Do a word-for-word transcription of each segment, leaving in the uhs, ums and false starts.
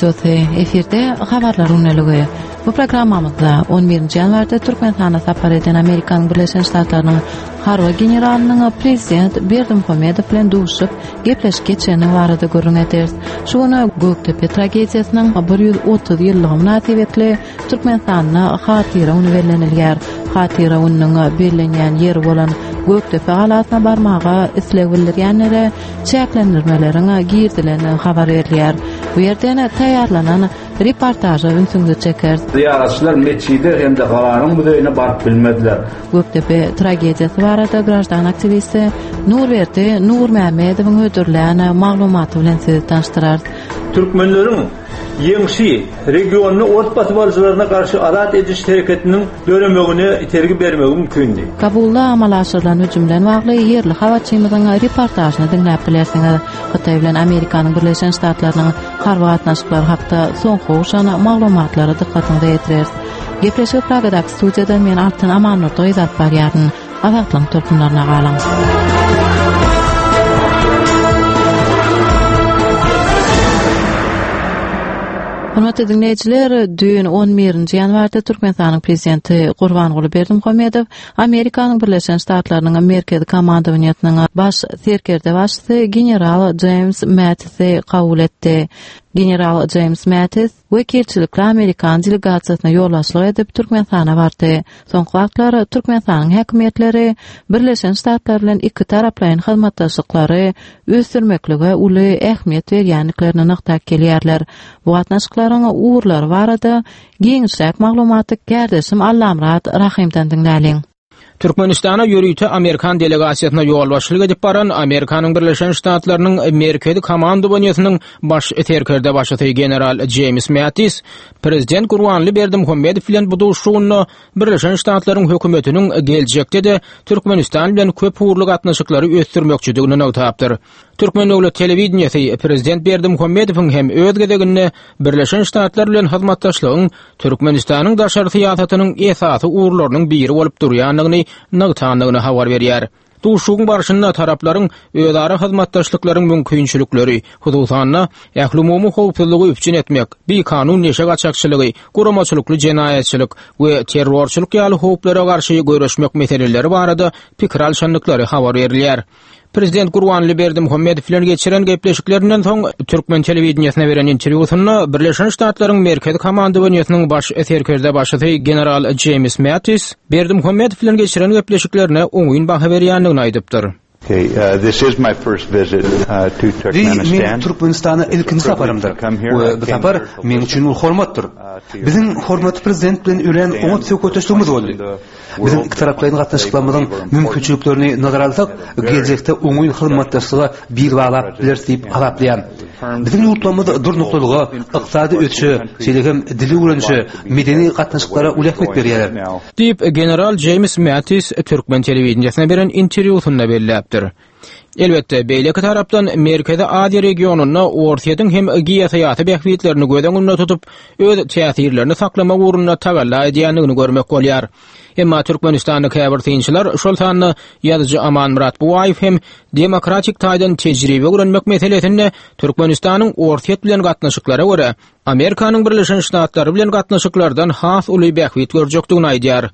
Radiosy efirde habarlar günlügi. Bu programmamyzda on birinji ýanwarda Türkmenistana sapar eden Amerikanyň Birleşen Ştatlarynyň harby generalynyň prezident Berdimuhamedow bilen duşup gepleşik geçeni barada gürrüň ederis. Şu gün Gökdepe tragediýasynyň bir ýüz otuz ýyllygy mynasybetli Türkmenistanda hatyra güni bellenilýär. Hatyra gününiň bellenýän ýeri bolan Gökdepe galasyna barmaga isleg bildirýänlere çäklendirmeleriň girdilen habar berilýär. Bu ýerden taýýarlanan reportaža ünsüňizi çekeris. Ziýaratçylar metjide hem-de galanyň muzeýine baryp bilmediler. Gökdepe tragediýasy barada graždan aktiwisti Nurberdi Nurmämmedowyň hödürlän maglumaty bilen sizi tanyşdyrarys. Türkmenleriň ýeňşi regionyny ort basybalyjylaryna garşy azat ediş hereketiniň döremegine itergi bermegi mümkindi. Kabulda amala aşyrylan hüjümden bagly ýerli habarçymyzyň reportažyny diňläp bilersiňiz. Hytaý bilen Amerikanyň Birleşen Ştatlarynyň harby gatnaşyklary hakda soňky gowşan maglumatlary dykgatyňyza ýetireris. Gepleşik Pragadaky studiýadan men Altyn Amanurdy gyz alyp barýaryn. Azatlygyň tolkunlaryna galyň. Hormatly dinleýjiler, düýn on birinji ýanwarda Türkmenistanyň prezidenti Gurbanguly Berdimuhamedow Amerikanyň Birleşen Ştatlarynyň Merkezi komandowaniýasynyň baş serkerdebaşysy general James Mattisi kabul etdi. General James Mattis wekilçilikli Amerikan delegasiýasyna ýolbaşçylyk edip Türkmenistana bardy. Soňky wagtlar Türkmenistanyň häkimiýetleri Birleşen Ştatlar bilen iki taraplaýyn hyzmatdaşlyklary ösdürmeklige uly ähmiýet berýändiklerini nygtap gelýärler. Bu gatnaşyklaryň ugurlary barada giňişräk maglumaty kärdeşim Allamyrat Rahymdan diňläliň. Türkmenistana ýörite Amerikan delegasiýasyna ýolbaşçylyk edip baran Amerikanyň Birleşen Ştatlarynyň Merkezi komandowaniýasynyň baş serkerdebaşysy general James Mattis prezident Gurbanguly Berdimuhamedow bilen bu duşuşygynda Birleşen Ştatlaryň hökümetiniň geljekde-de Türkmenistan bilen köp ugurly gatnaşyklary ösdürmekçidigini nygtapdyr. Türkmen döwlet telewideniýesi prezident Berdimuhamedowyň hem öz gezeginde Birleşen Ştatlar bilen hyzmatdaşlygyň Türkmenistanyň daşary syýasatynyň esasy ugurlarynyň biri bolup durýandygyny nygtandygyny habar berýär. Duşuşygyň barşynda taraplaryň özara hyzmatdaşlyklaryň mümkinçilikleri, hususan-da ählumumy howpsuzlygy üpjün etmek, bikanun neşe gaçakçylygy, guramaçylykly jenaýatçylyk we terrorçylyk ýaly howplara garşy göreşmek meseleleri barada pikir alşandyklary habar berilýär. Prezident Gurbanguly Berdimuhamedow bilen geçiren gepleşiklerinden soň Türkmen telewideniýesine beren interwýusynda Birleşen Ştatlaryň Merkezi komandowaniýasynyň baş serkerdebaşysy general James Mattis Berdimuhamedow bilen geçiren gepleşiklerine oňyn baha berýändigini aýdypdyr. Okay, uh, this is my first visit, uh, to Bi men Türkmenistana ilkinji saparymdyr we bu sapar meň üçin uly hormatdyr. Biziň hormatly prezident bilen örän oňat söhbetdeşligimiz boldy. Biziň iki taraplaýyn gatnaşyklarymyzyň mümkinçiliklerini nazara alsak, geljekde oňyn hyzmatdaşlyga bil baglap bileris diýip hasaplaýan. Biziň ýurtlarymyz durnuklylyga, ykdysady ösüşe, şeýle hem dil öwrenişe, medeni gatnaşyklara uly ähmiýet berýärler. Diýip, general James Mattis Türkmen telewideniýesine beren interwýusynda belläpdir. Elbetde, beýleki tarapdan Merkezi Aziýa regionynda Orsýetiň hem geosyýasy bähbitlerini göz öňünde tutup, öz täsirlerini saklamak ugrunda tagalla edýändigini görmek bolýar. Emma Türkmenistanda käbir synçylar, şol sanda ýazyjy Amanmyrat Buwaýew hem demokratik taýdan tejribe öwrenmek meselesinde Türkmenistanyň Orsýet bilen gatnaşyklara görä, Amerikanyň Birleşen Ştatlary bilen gatnaşyklardan has uly bähbit görjekdigini aýdýar.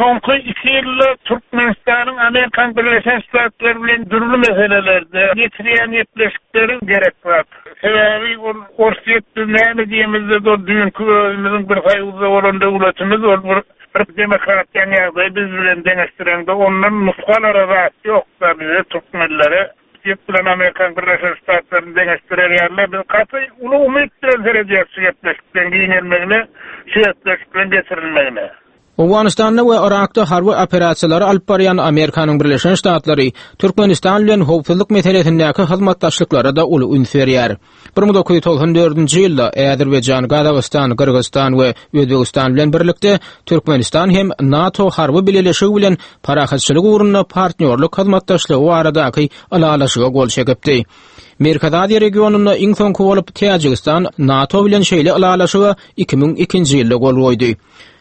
Soňky iki ýylda Türkmenistanyň Amerikan Birleşen Ştatlary bilen dürli meselelerde getirýän gepleşikleri gerek bar. Sebäbi ol Orsýet biz näme diýemizde ol düýnki özümiziň bir soýuzda bolan döwletimiz, ol bir, bir demokratiýanyň ýagdaýy biz bilen deňeşdirende ondan nusgalara zat ýok da bize türkmenlere. Orsýet bilen Amerikan Birleşen Ştatlaryny deňeşdirerler. Biz gaty uly umyt bilen seredýäris şu gepleşiklerin giňelmegine, şu gepleşiklerin geçirilmegine. Owganystanda we Irakda harby operasiýalary alyp barýan Amerikanyň Birleşen Ştatlary Türkmenistan bilen howpsuzlyk meselesindäki hyzmatdaşlyklara da uly üns berýär. bir müň dokuz ýüz togsan dördünji ýylda Azerbaýjan, Gazagystan, Gyrgyzystan we Özbegistan bilen birlikde Türkmenistan hem NATO harby bileleşigi bilen parahatçylyk ugrunda partnýorlyk hyzmatdaşlygy baradaky ylalaşyga gol çekipdi. Merkezi Aziýa regionynda iň soňky bolup Täjigistan NATO bilen şeýle ylalaşyga iki müň ikinji ýylda gol goýdy.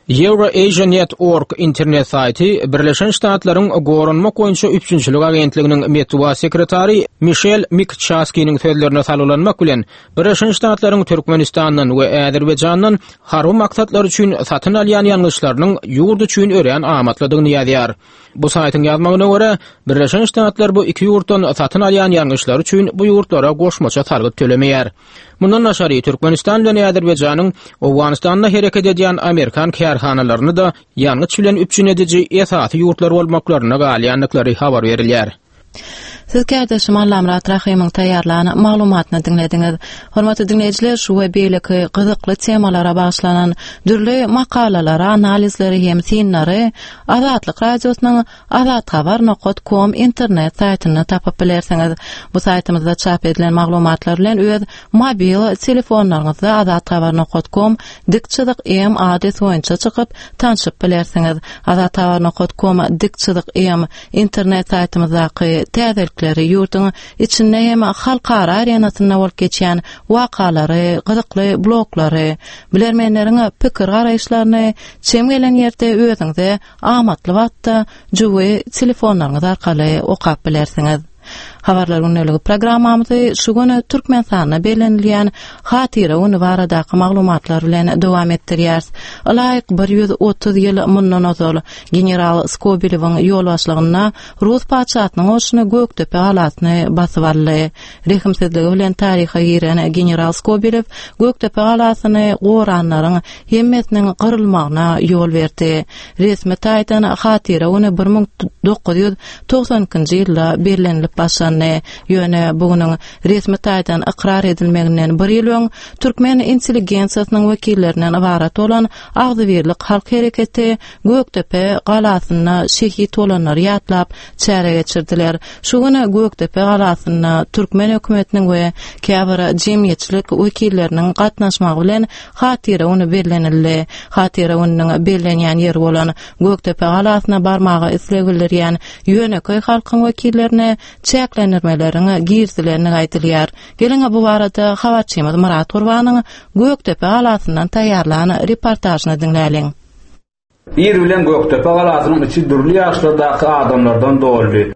EurAsiaNet.org internet saýty Birleşen Ştatlaryň Goranmak boýunça üpjünçilik agentliginiň metbugat sekretary Mişel Mikçaskiniň sözlerine salgylanmak bilen Birleşen Ştatlaryň Türkmenistandan we Azerbaýjandan harby maksatlar üçin satyn alýan ýangyçlarynyň ýurt üçin örän amatlydygyny ýazýar. Bu saýtyň ýazmagyna görä, Birleşen Ştatlar bu iki ýurtdan satyn alýan ýangyçlar üçin bu ýurtlara goşmaça salgyt tölemeýär. Mundan daşary Türkmenistan bilen Azerbaýjanyň Owganystanda hereket edýän Amerikan kärhanalaryny da ýangyç bilen üpjün ediji esasy ýurtlar bolmaklaryna galýandyklary habar berilýär. Siz kärdeşim Allamyrat Rahymyň taýýarlan maglumatyny diňlediňiz. Hormatly diňleýjiler, şu we beýleki gyzykly temalara bagyşlanan dürli makalalara, analizleri hem synlary Azatlyk Radiosynyň azathabar nokta com internet saýtynda tapyp bilersiňiz. Bu saýtymyzda çap edilen maglumatlar bilen öz mobil telefonlaryňyzda azathabar nokta com dik çyzyk M adresi boýunça çykyp tanşyp bilersiňiz. Azathabar nokta com dik çyzyk M internet saýtymyzdaky täzelikleri, ýurduň içinde hem halkara arenasynda bolup geçýän wakalary, gyzykly bloglary, bilermenleriň pikir garaýyşlaryny çem gelen ýerde özüňize amatly wagtda jübi telefonlaryňyz arkaly okap bilersiňiz. Habarlar günlügi programmamyzy şu gün Türkmenistanda bellenilýän Hatyra güni baradaky maglumatlar bilen dowam etdirýäris. Ylaýyk bir ýüz otuz ýyl mundan ozal general Skobelewiň ýolbaşçylygynda Rus patyşasynyň goşuny Gökdepe galasyny basyp aldy. Rehimsizligi bilen taryha giren general Skobelew Gökdepe galasyny goranlaryň hemmesiniň gyrylmagyna ýol berdi. Resmi taýdan Hatyra güni bir müň dokuz ýüz togsan ikinji ýylda bellenilip başlandy. Ýöne bugünüň resmi taýdan ykrar edilmeginden bir ýyl öň türkmen intelligensiýasynyň wekillerinden ybarat bolan Agzybirlik halk hereketi Gökdepe galasynda şehit bolanlary ýatlap çäre geçirdiler. Şu gün Gökdepe galasynda türkmen hökümetiniň we käbir jemgyýetçilik wekilleriniň gatnaşmagy bilen Hatyra güni bellenildi. Hatyra gününiň bellenýän ýeri bolan Gökdepe galasyna barmaga isleg bildirýän ýönekeý halkyň wekillerine çäklendirmeleriň girizilenligi aýdylýar. Geliň bu barada habarçymyz Myrat Gurbanyň Gökdepe galasyndan taýýarlan reportažyny diňläliň. Ir bilen Gökdepe galasynyň içi dürli ýaşlardaky adamlardan doldy.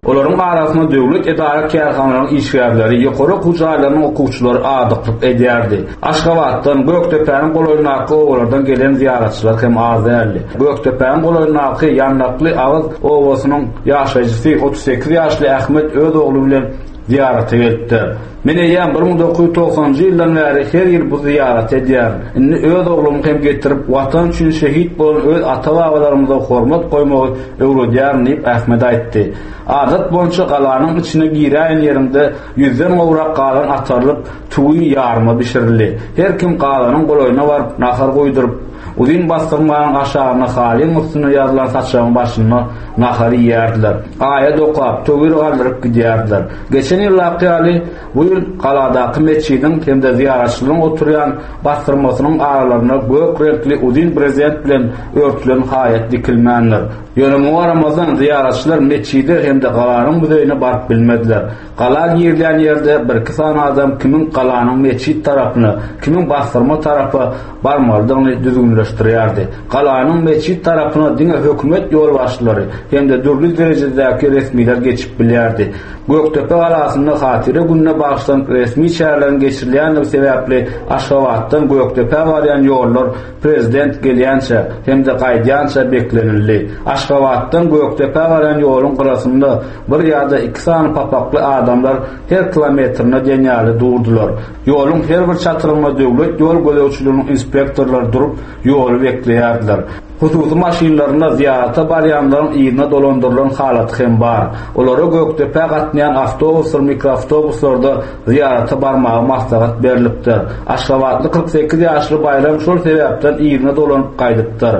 Olaryň arasynda döwlet edara kärhanalaryň işgärleri, ýokary okuw jaýlarynyň okuwçylary adyklyk edýärdi. Aşgabatdan, Gökdepäniň golaýyndaky obalardan gelen ziýaratçylar hem az däldi. Gökdepäniň golaýyndaky Ýandakly agyz obasynyň ýaşaýjysy otuz sekiz ýaşly Ahmet öz ogly bilen ziýarata gelipdir. Men eýýäm bir müň dokuz ýüz togsanjy ýyldan bäri her ýyl bu ziýarat edýärin. Indi öz oglumy hem getirip, watan üçin şehit bolan öz ata-babalarymyza hormat goýmagy öwredýärin diýip Ahmet aýtdy. Adat boýunça galanyň içine giräýen ýerinde ýüzden gowrak galan atarylyp, tüwi ýarma bişirildi. Her kim galanyň golaýyna baryp, nahar goýduryp, uzyn bastyrmanyň aşagyna halyň üstüne ýazylan saçagyň başynda nahar iýerdiler. Aýa dokap, töwir galdyryp gidýärdiler. Geçen ýyldaky ýaly bu ýyl galadaky metjidiň hem-de ziýaratçylaryň oturýan bastyrmasynyň aralarynda gök reňkli uzyn brezent bilen örtülen haýat dikilmändir. Ýöne muňa garamazdan ziýaratçylar metjide hem-de galanyň muzeýine baryp bilmediler. Gala girilýän ýerde bir iki sany adam kimiň galanyň metjit tarapyna, kimiň bastyrma tarapa barmalydygyny düzgünleşdirýärdi. Galanyň metjit tarapyna diňe hökümet ýolbaşçylary hem-de dürli derejedäki resmiler geçip bilýärdi. Gökdepe galasynda Hatyra gününe bagyşlanyp resmi çäreleriň geçirilýändigi sebäpli Aşgabatdan Gökdepä barýan ýollar prezident gelýänçe hem-de gaýdýança beklenildi. Aşgabatdan Gökdepä barýan ýoluň gyrasynda bir ýa-da iki sany papakly adamlar her kilometrine diýen ýaly durdular. Ýoluň her bir çatyrynda döwlet ýol gözegçiliginiň inspektorlary durup ýoly bekleýärdiler. Hususy maşynlarynda ziýarata barýanlaryň yzyna dolandyrylan halaty hem bar. Olara Gökdepä gatnaýan awtobuslar, mikroawtobuslarda ziýarata barmaga maslahat berilipdir. Aşgabatly kyrk sekiz ýaşly Baýram şol sebäpden yzyna dolanyp gaýdypdyr.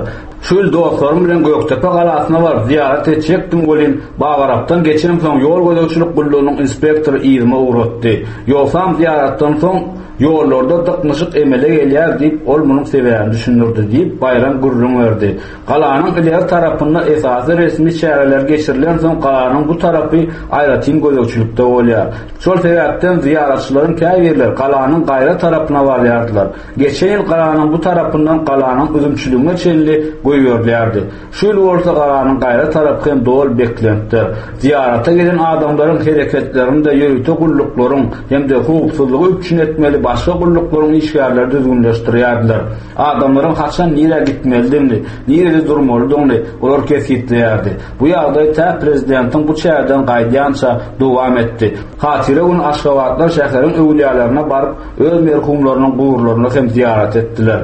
Şu ýyl dostlarym bilen Gökdepe galasyna baryp zyýarat etjekdim welin, Babarapdan geçemsoň ýol gözegçilik gullugynyň inspektory yzyma ugratdy. Ýogsam zyýaratdan soň ýollarda dyknyşyk emele gelýär diýip, ol munuň sebäbini düşündirdi diýip, Baýram gürrüň berdi. Galanyň ileri tarapynda esasy resmi çäreler geçirilensoň galanyň bu tarapy aýratyn gözegçilikde bolýar. Şol sebäpden zyýaratçylaryň käbirleri galanyň gaýra tarapyna barýardylar. Geçen ýyl galanyň bu tarapyndan galanyň üzümçiligine çenli goýberilýärdi. Şu ýyl bolsa galanyň gaýra tarapy hem doly beklenipdir. Zyýarata gelen adamlaryň hereketlerini-de ýörite gulluklaryň hem-de howpsuzlygy üpjün etmeli başga gulluklaryň işgärleri düzgünleşdirýärdiler. Adamlaryň haçan nirä gitmelidigini, nirede durmalydygyny olar kesgitleýärdi. Bu ýagdaý tä prezidentiň bu çäreden gaýdýança dowam etdi. Hatyra güni aşgabatlar şäheriň öwlüýälerine baryp, öz merhumlarynyň guburlaryna hem zyýarat etdiler.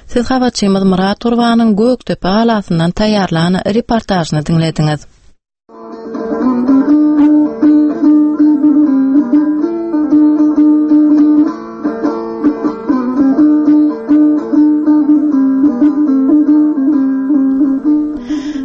Siz habarçymyz Myrat Gurbanyň Gökdepe galasyndan taýýarlan reportažyny diňlediňiz.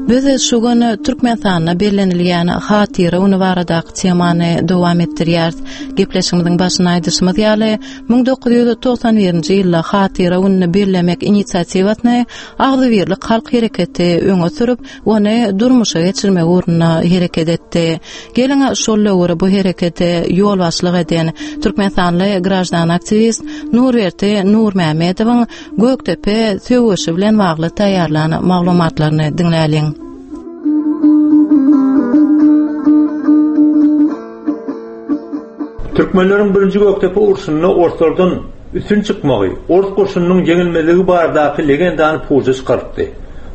Biz şu gün Türkmenistanda bellenilýän Hatyra güni baradaky temany dowam etdirýäris. Gepleşigimiziň başynda aýdyşymyz ýaly, müň dokuz ýüz togsan birinji ýylda Hatyra gününi bellemek inisiatiwasyny Agzybirlik halk hereketi öňe sürüp, ony durmuşa geçirmek ugrunda hereket etdi. Geliň şol döwür bu herekete ýolbaşçylyk eden Türkmenistanly graždan aktiwist Nurberdi Nurmämmedowyň Gökdepe söweşi bilen bagly taýýarlan maglumatlaryny diňläliň. Türkmenleriň birinji Gökdepe urşunda orslardan üstün çykmagy, ors goşunynyň ýeňilmezligi baradaky legendany puja çykarypdy.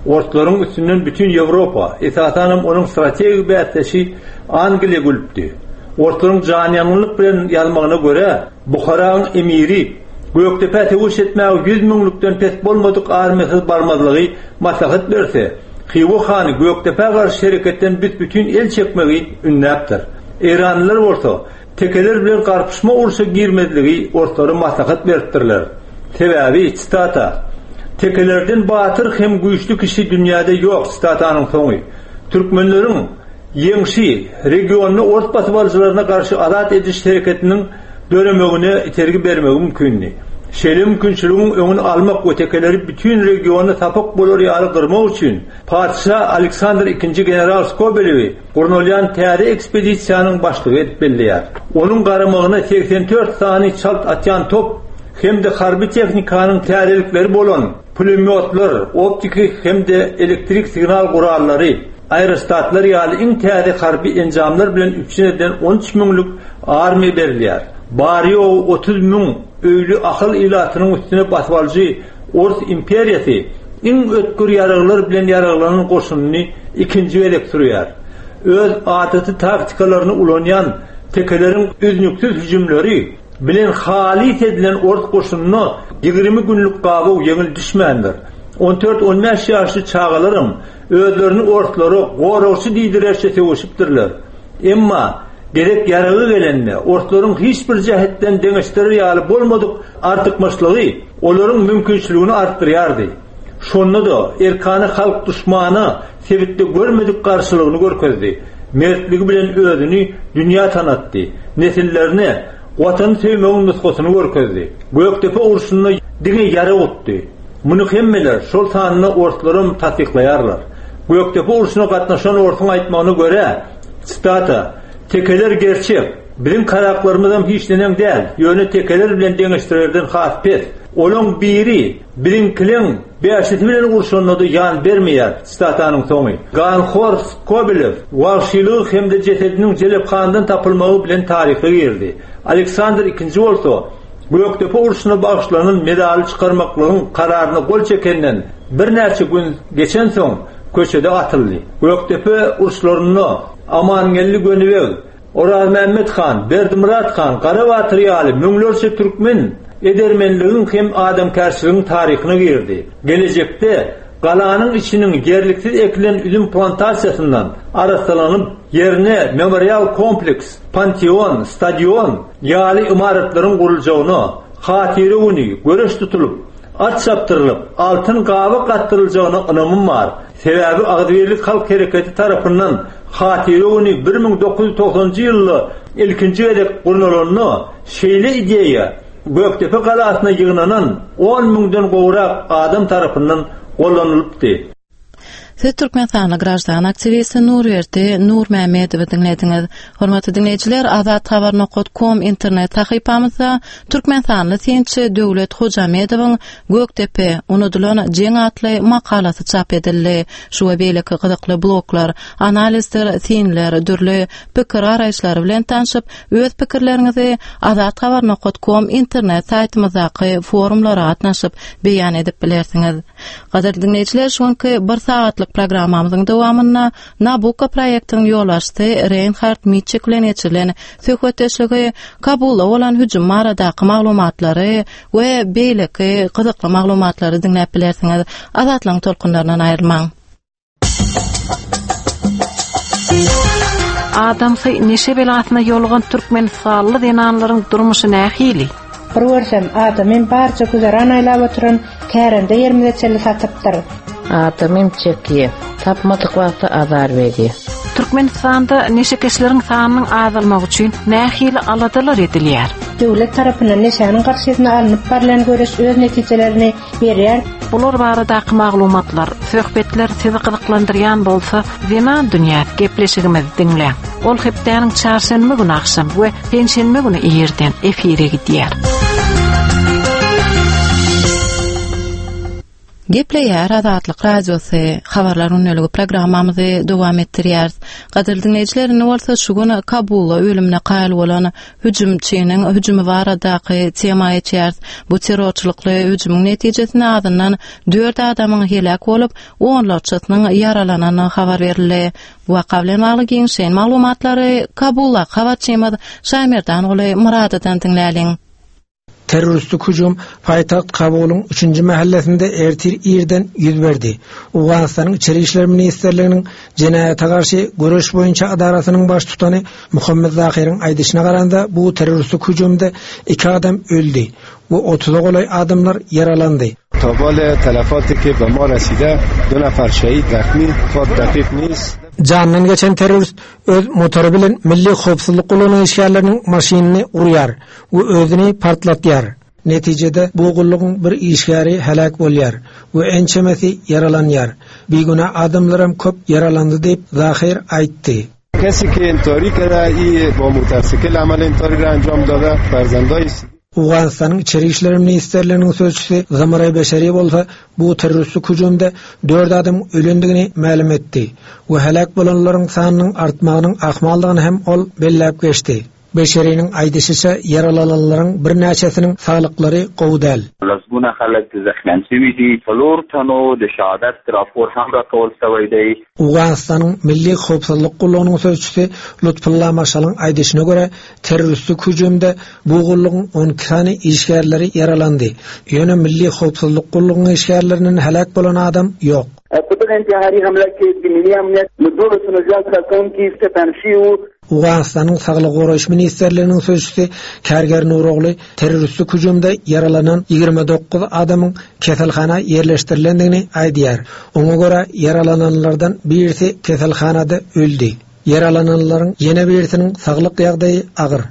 Orslaryň üstünden bütün Ýewropa, esasanam onuň strategik bäsdeşi Angliýa gülüpdi. Orslaryň janýangynlyk bilen ýazmagyna görä, Buharaň emiri Gökdepä söweş etmäge ýüz müňlükden pes bolmadyk armiýasyz barmazlygy maslahat berse, Hywa hany Gökdepä garşy hereketden büs-bütin el çekmegi ündäpdir. Eýranlylar bolsa tekeler bilen garpyşma urşa girmezligi orslara maslahat beripdirler. Sebäbi, sitata, tekelerden batyr hem güýçli kişi dünýäde ýok, sitatanyň soňy. Türkmenleriň ýeňşi regionda ors basybalyjylaryna garşy azat ediş hereketiniň döremegine itergi bermegi mümkindi. Şeýle mümkinçiligiň öňüni almak we tekeleri bütün regionda sapak bolar ýaly gyrmak üçin Patyşa Aleksandr ikinji general Skobelewi gurnalýan täze ekspedisiýanyň başlygy edip belleýär. Onuň garamagyna segsen dört sany çalt atýan top hem-de harby tehnikanyň täzelikleri bolan pulemyotlar, optiki hem-de elektrik signal gurallary, aerostatlar ýaly iň täze harby enjamlar bilen üpjün edilen on üç müňlük armiýa berilýär. Bary-ýogy otuz müň öýli Ahal ilatynyň üstüne basybalyjy Ors imperiýasy iň ötgür ýaraglar bilen ýaraglanan goşunyny ikinji gezek sürýär. Öz adaty taktikalaryny ulanýan tekeleriň üznüksiz hüjümleri bilen halys edilen ors goşunyna ýigrimi günlük gabaw ýeňil düşmändir. On dört-on bäş ýaşly çagalaram özlerini orslara goragçy diýdirerçe söweşipdirler. Emma gezek ýaragy gelende orslaryň hiç bir jähetden deňeşdirer ýaly bolmadyk artykmaçlygy olaryň mümkinçiligini artdyrýardy. Şonda-da erkana halk duşmana sebitde görmedik garşylygyny görkezdi. Mertligi bilen özüni dünýä tanatdy. Nesillerine Watany söýmegiň nusgasyny görkezdi. Gökdepe urşunda diňe ýara utdy. Muny hemmeler, şol sanda orslaram tassyklaýarlar. Gökdepe urşuna gatnaşan orsuň aýtmagyna görä, sitata, tekeler gerçek, biziň karaklarymyzam hiç neneň däl, ýöne tekeler bilen deňeşdirerden has pes. Olaň biri biziňkileň bäşisi bilen urşanda-da ýan bermeýär, sitatanyň soňy. Ganhor Skobelew wagşylygy hem-de jesediniň jelephandan tapylmagy bilen taryha girdi. Aleksandr ikinji bolsa, Gökdepe urşuna bagyşlanan medaly çykarmaklygyň kararyna gol çekenden birnäçe gün geçensoň köçede atyldy. Gökdepe uruşlarynda Amangeldi Gönübeg, Orazmämmet han, Berdimyrat han, Garabatyr ýaly müňlerçe türkmen edermenligiň hem adamkärçiligiň taryhyna girdi. Gelejekde galanyň içiniň ýerliksiz ekilen üzüm plantasiýasyndan arassalanyp, ýerine memorial kompleks, panteon, stadion ýaly ymaratlaryň guruljagyna, hatyra güni göreş tutulyp, At çapdyrylyp, altyn gabak atdyryljagyna ynamym bar. Sebäbi Agzybirlik halk hereketi tarapyndan Hatyra güni bir müň dokuz ýüz togsanynjy ýylda ilkinji gezek gurnalanda şeýle ideýa Gökdepe galasyna ýygnanan on müňden gowrak adam tarapyndan gollanylypdy. Siz Türkmenistanly graždan aktiwisti Nurberdi Nurmämmedowy diňlediňiz. Hormatly diňleýjiler, azathabar nokat kom internet sahypamyzda Türkmenistanly synçy Döwlet Hojamedowyň Gökdepe, unudylan jeň atly makalasy çap edildi. Şu we beýleki gyzykly bloglar, analizler, synlar, dürli pikir garaýyşlary bilen tanşyp, öz pikirleriňizi azathabar nokat kom internet saýtymyzdaky forumlara gatnaşyp beýan edip bilersiňiz. Gadyrly diňleýjiler, şu günki bir sagatlyk programmamyzyň dowamynda Nabucco proýektiniň ýolbaşçysy Reinhard Mitschek bilen geçirilen söhbetdeşligi, Kabulda bolan hüjüm baradaky maglumatlary we beýleki gyzykly maglumatlary diňläp bilersiňiz. Azatlygyň tolkunlaryndan aýrylmaň. Adamsy neşe belasyna ýolugan Türkmenistanly zenanlaryň durmuşy nähili? Bir görsem, adamym barça güzeran aýlap oturan kärende ýerimize çenli satypdyr. Adamym çekýär, tapmadyk wagty azar berýär. Türkmenistanda neşekeşleriň sanynyň azalmagy üçin nähili aladalar edilýär? Döwlet tarapyndan neşäniň garşysyna alnyp barylan göreş öz netijelerini berýär. Bular baradaky maglumatlar, söhbetler sizi gyzyklandyrýan bolsa, Zenan dünýäsi gepleşigimizi diňläň. Ol hepdäniň çarşenbe güni akşam we penşenbe güni irden efire gidýär. Gepleýär Azatlyk Radiosy habarlar gündeligi programmamyzy dowam etdirýäris. Gadyrly diňleýjiler, indi bolsa şu gün Kabulda ölümine kaýyl bolan hüjümçiniň hüjümi baradaky tema geçýäris. Bu terrorçylykly hüjümiň netijesinde azyndan dört adamyň heläk bolup, onlarçasynyň ýaralanandygy habar berildi. Bu waka bilen bagly giňişleýin maglumatlary Kabulda habarçymyz Şaýmerdanguly Muradodan diňläliň. Terroristik hüjüm paýtagt Kabulyň üçünji mahallesinde ertir irden ýüz berdi. Owganystanyň İçeri İşler Ministerliginiň jenaýata garşy göreş boýunça adarasynyň baştutany Muhammed Zahiriň aýdyşyna garanda bu terroristik hüjümde iki adam öldi we otuza golaý adamlar ýaralandy. Tobal telefati ki be ma raside du nafar şehid zakhmi fot daqiq nist. Jandan geçen terrorist öz motory bilen milli howpsuzlyk gullugynyň işgärleriniň maşynyny urýar we özüni partlatýar. Netijede bu gullugyň bir işgäri heläk bolýar we ençemesi ýaralanýar. Bigünä adamlaram köp ýaralandy diýip Zahir aýtdy. Kesi ki intihari kerde, i bo motosikl amal intihari ra anjam dada, farzandai Owganystanyň İçeri İşler Ministerliginiň sözçüsi Zamaray Beşeri bolsa bu terroristik hüjümde dört adam ölendigini mälim etdi we heläk bolanlaryň sanynyň artmagynyň ahmaldygyny hem ol belläp geçdi. Beşeriniň aýdyşyça ýaralananlaryň birnäçesiniň saglyklary gowy däl. لسګونه خلک زخمیان شوي دي، څلور تنو د شهادت راپور هم راکول شوی دی. Owganystanyň Milli Howpsuzlyk gullugynyň sözçüsi Lutfullah Maşalyň aýdyşyna görä terroristik hüjümde bu gullugyň on iki sany işgärleri ýaralandy. Ýöne Milli Howpsuzlyk gullugynyň işgärleriniň heläk bolan adam ýok. په دغه انتحاري حمله کې د ملي امنیت له دولسو نه زیات کارکوونکي ټپیان شوي وو. Owganystanyň Saglyk goraýyş Ministerliginiň sözçüsi Kärger Nurogly terroristik hüjümde ýaralanan ýigrimi dokuz adamyň keselhana ýerleşdirilendigini aýdýar. Oňa görä ýaralananlardan birisi keselhanada öldi. Yaralananlaryň ýene birisiniň saglyk ýagdaýy agyr.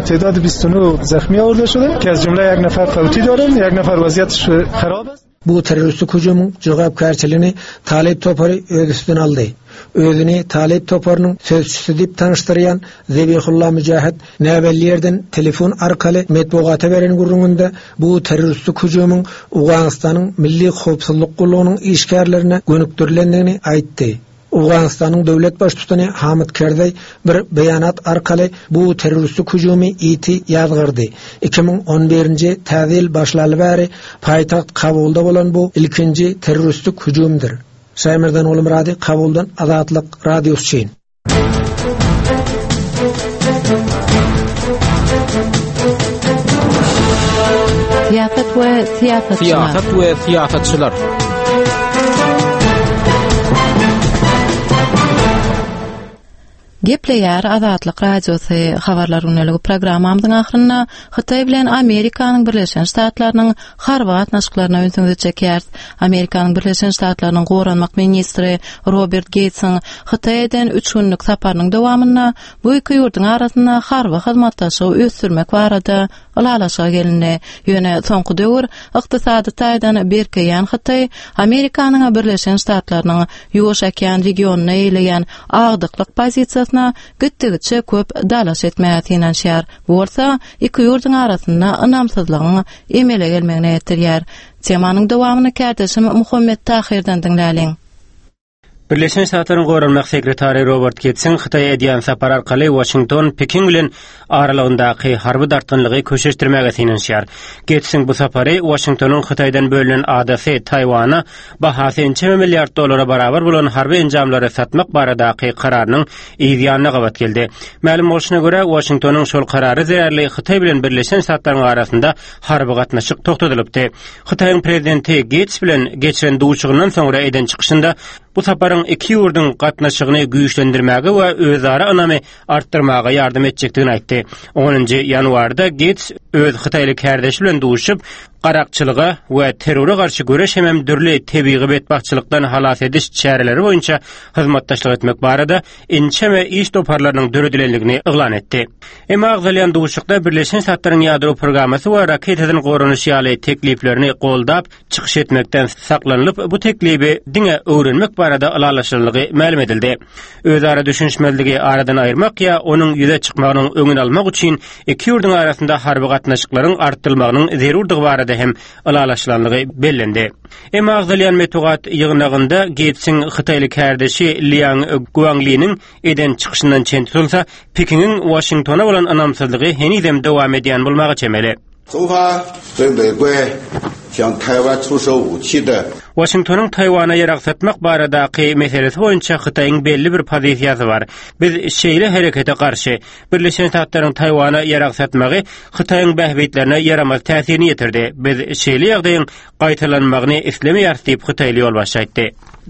تعداد بیست و نه زخمی آورده شده که از جمله یک نفر فوتی دارن، یک نفر وضعیتش خراب است. Bu terroristik hüjümiň jogapkärçiligini Talip topary öz üstüne aldy. Özüni Talip toparynyň sözçüsi diýip tanyşdyrýan Zebihullah Mücahit näbelli ýerden telefon arkaly metbugata beren gürrüňinde bu terroristik hüjümiň Owganystanyň Milli Howpsuzlyk gullugynyň işgärlerine gönükdirilendigini aýtdy. Owganystanyň döwlet baştutany Hamid Karzai bir beýanat arkaly bu terroristik hüjümi iti ýazgyrdy. iki müň on birinji täzil başlaly bäri paýtagt Kabulda bolan bu ilkinji terroristik hüjümdir. Şaýmerdan Oğulmurady, Kabuldan Azatlyk Radiosy üçin. Syýasat we syýasatçylar. Syýasat we syýasatçylar. Gepleýär Azatlyk Radiosy habarlar günlügi programmamyzyň ahyrynda Hytaý bilen Amerikanyň Birleşen Ştatlarynyň harby gatnaşyklaryna ünsüňizi çekýäris. Amerikanyň Birleşen Ştatlarynyň goranmak ministri Robert Geýtsiň Hytaý eden üç günlük saparynyň dowamynda bu iki ýurduň arasynda harby hyzmatdaşlygy ösdürmek barada ylalaşyga gelindi. Ýöne soňky döwür ykdysady taýdan berkeýän Hytaý Amerikanyň Birleşen Ştatlarynyň Ýuwaş okean regionyna eýleýän agdyklyk pozisiýasyna gitdigiçe köp dalaş etmäge synanyşýar. Bu bolsa iki ýurduň arasynda ynamsyzlygyň emele gelmegine getirýär. Temanyň dowamyny kärdeşim Muhammet Tahirden diňläliň. Birleşen Ştatlaryň goranmak sekretary Robert Geýtsiň Hytaýa edýän sapar arkaly Waşington Pekin bilen aralygyndaky harby dartgynlygy köşeşdirmäge synanyşýar. Geýtsiň bu sapary Waşingtonyň Hytaýdan bölünen adasy Taýwana bahasy ençeme milliard dollara barabar bolan harby enjamlary satmak baradaky kararynyň yz ýanyna gabat geldi. Mälim bolşuna görä, Waşingtonyň şol karary zerarly Hytaý bilen Birleşen Ştatlaryň arasynda harby gatnaşyk togtadylypdy. Hytaýyň prezidenti Geýts bilen geçiren duşuşygyndan soňra eden çykyşynda bu saparyň iki ýurduň gatnaşygyny güýçlendirmäge we özara ynamy artdyrmaga ýardam etjekdigini aýtdy. Onunjy ýanwarda Geýts öz hytaýly kärdeşi bilen duşup, garakçylyga we terrora garşy göreş hemem dürli tebigy betbagtçylykdan halas ediş çäreleri boýunça hyzmatdaşlyk etmek barada ençeme iş toparlarynyň döredilendigini yglan etdi. Emma agzalýan duşuşykda Birleşen Ştatlaryň ýadro programmasy we raketadan goranyş ýaly tekliplerini goldap çykyş etmekden saklanylyp, bu teklibi diňe öwrenmek barada ylalaşylanlygy mälim edildi. Özara düşünişmezligi aradan aýyrmak ýa onuň ýüze çykmagynyň öňüni almak üçin iki ýurduň arasynda harby gatnaşyklaryň artdyrylmagynyň zerurdygy barada hem ylalaşylanlygy bellendi. Emma agzalýan metbugat ýygnagynda Geýtsiň hytaýly kärdeşi Liang Guangliniň eden çykyşyndan çen tutulsa, Pekiniň Waşingtona bolan ynamsyzlygy henizem dowam edýän bolmaga çemeli. Waşingtonyň Taýwana ýarag satmak baradaky meselesi boýunça Hytaýyň belli bir pozisiýasy bar. Biz şeýle herekete garşy. Birleşen Ştatlaryň Taýwana ýarag satmagy Hytaýyň bähbitlerine ýaramaz täsirini ýetirdi. Biz şeýle ýagdaýyň gaýtalanmagyny islemeýäris diýip hytaýly ýolbaşçy aýtdy.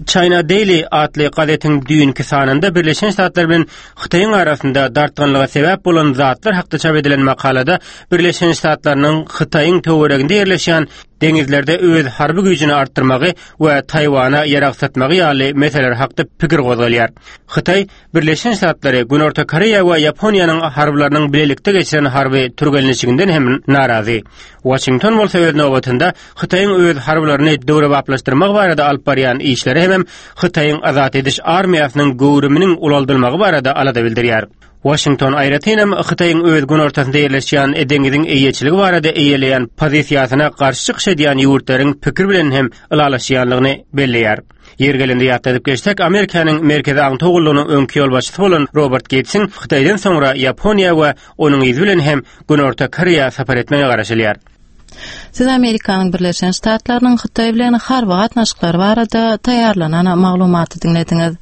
China Daily atly gazetiň düýnki sanynda Birleşen Ştatlar bilen Hytaýyň arasynda dartgynlyga sebäp bolan zatlar hakda çap edilen makalada Birleşen Ştatlarynyň Hytaýyň töwereginde ýerleşýän deňizlerde öz harby güýjüni artdyrmagy we Taýwana ýarag satmagy ýaly meseleler hakda pikir gozgalýar. Hytaý Birleşen Ştatlary, Günorta Koreýa we Ýaponiýanyň harbylarynyň bilelikde geçiren harby türgenleşiginden hem narazy. Waşington bolsa öz nobatynda Hytaýyň öz harbylaryny döwrebaplaşdyrmak barada alyp barýan işleri hem Hytaýyň azat ediş armiýasynyň göwrüminiň ulaldylmagy barada alada bildirýär. Waşington aýratynam Hytaýyň öz günortasynda ýerleşýän deňiziň eýeçiligi barada eýeleýän pozisiýasyna garşy çykyş edýän ýurtlaryň pikir bilen hem ylalaşýanlygyny belleýär. Ýer gelende ýatladyp geçsek, Amerikanyň Merkezi Aňtaw gullugynyň öňki ýolbaşçysy bolan Robert Geýtsiň Hytaýdan soňra Ýaponiýa we onuň yzy bilen hem Günorta Koreýa sapar etmegine garaşylýar. Siz Amerikanyň Birleşen Ştatlarynyň Hytaý bilen harby gatnaşyklary barada taýýarlanan maglumaty diňlediňiz.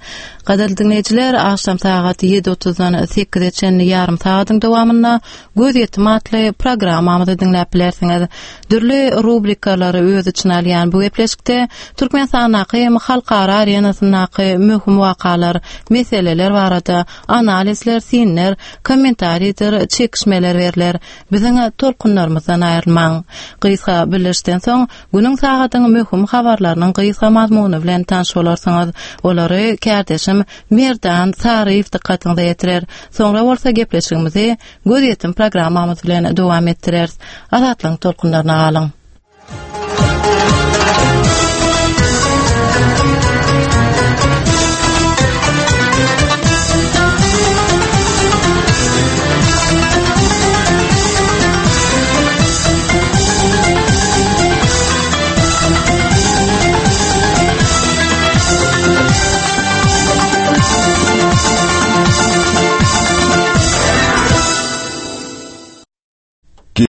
Gadyrly diňleýjiler, agşam sagat ýedi otuzdan sekize çenli ýarym sagadyň dowamynda Gözýetim atly programmamyzy diňläp bilersiňiz. Dürli rubrikalary öz içine alýan bu gepleşikde Türkmenistandaky hem halkara arenasyndaky möhüm wakalar, meseleler barada analizler, synlar, kommentariýadyr çekişmeler berler. Biziň tolkunlarymyzdan aýrylmaň. Gysga bildirişden soň günüň sagadyň möhüm habarlarynyň gysga mazmuny bilen tanyş bolarsyňyz. Olary kärdeşim Merdan Saryýew dykgatyňyza ýetirer. Soňra bolsa gepleşigimizi Gözýetim programmamyz bilen dowam etdireris. Azatlygyň tolkunlaryna galyň.